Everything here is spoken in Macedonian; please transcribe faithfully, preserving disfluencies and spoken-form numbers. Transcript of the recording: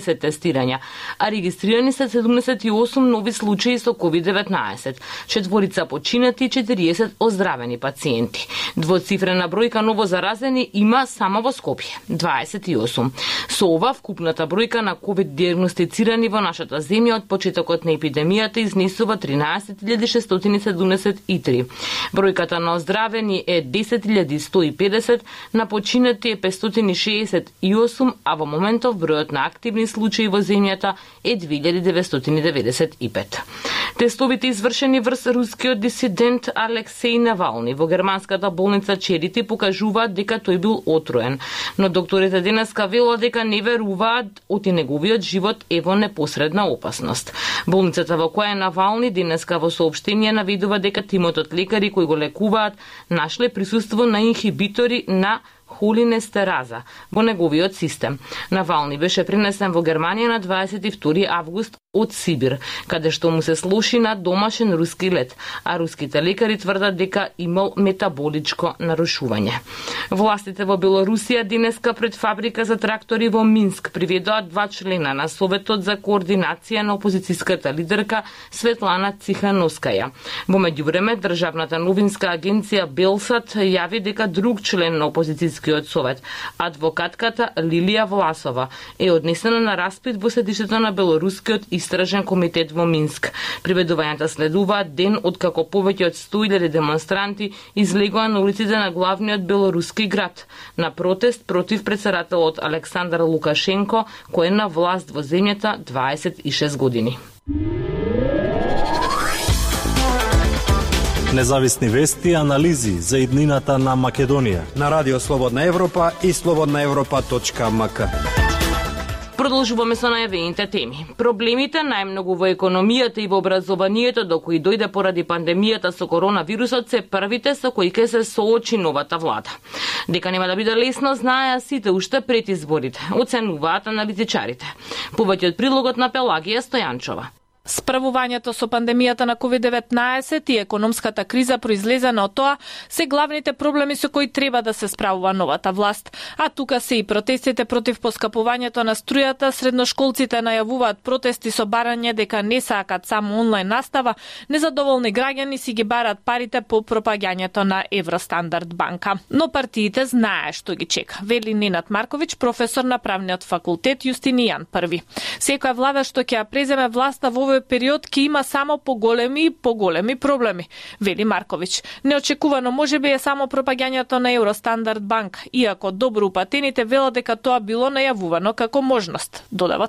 тестирања, а регистрирани се седумдесет и осум нови случаи со ковид деветнаесет, четворица починати и четириесет оздравени пациенти. Двоцифрена бројка ново заразени има само во Скопје, дваесет и осум. Со ова вкупната бројка на ковид диагностицирани во нашата земја од почетокот на епидемијата изнесува тринаесет илјади шестстотини седумдесет и три. Бројката на оздравени е десет илјади сто и педесет, на починати е петстотини шеесет и осум, а во моментов бројот на активни случаи во земјата е две илјади деветстотини деветдесет и пет. Тестовите извршени врз рускиот дисидент Алексеј Навални во германската болница Черити покажуваат дека тој бил отруен, но докторите денеска велат дека не веруваат оти неговиот живот е во непосредна опасност. Болницата во која е Навални денеска во соопштение наведува дека тимот од лекари кои го лекуваат нашле присуство на инхибитори на холинестераза во неговиот систем. Навални беше пренесен во Германија на дваесет и втори август од Сибир, каде што му се слоши на домашен руски лет, а руските лекари тврдат дека имал метаболичко нарушување. Властите во Белорусија денеска пред фабрика за трактори во Минск приведоа два члена на Советот за координација на опозицијската лидерка Светлана Цихановскаја. Во меѓувреме, државната новинска агенција Белсат јави дека друг член на опозицијскиот совет, адвокатката Лилија Власова, е однесена на распит во седишето на Белорускиот истражен комитет во Минск. Приведувањата следуваат ден откако повеќе од сто илјади демонстранти излегоа на улиците на главниот белоруски град на протест против претседателот Александар Лукашенко, кој е на власт во земјата дваесет и шест години. Независни вести и анализи за иднината на Македонија на Радио Слободна Европа и слободна европа точка ем ка. Продолжуваме со најавените теми. Проблемите најмногу во економијата и во образованието до кои дојде поради пандемијата со коронавирусот се првите со кои ќе се соочи новата влада. Дека нема да биде лесно знаеа сите уште пред изборите, оценуваат аналитичарите. Повеќе од прилогот на Пелагија Стојанчова. Справувањето со пандемијата на ковид деветнаесет и економската криза произлезена од тоа се главните проблеми со кои треба да се справува новата власт. А тука се и протестите против поскапувањето на струјата, средношколците најавуваат протести со барање дека не сакат само онлайн настава, незадоволни граѓани си ги барат парите по пропагањето на Евростандард банка. Но партиите знае што ги чека, вели Ненад Марковиќ, професор на правниот факултет Јустинијан Први. Секоја влада што ќе ја преземе власта во овој период ќе има само поголеми и поголеми проблеми, вели Марковиќ. Неочекувано можеби е само пропагањето на Евростандард банк, иако добро упатените велат дека тоа било најавувано како можност, додава тој.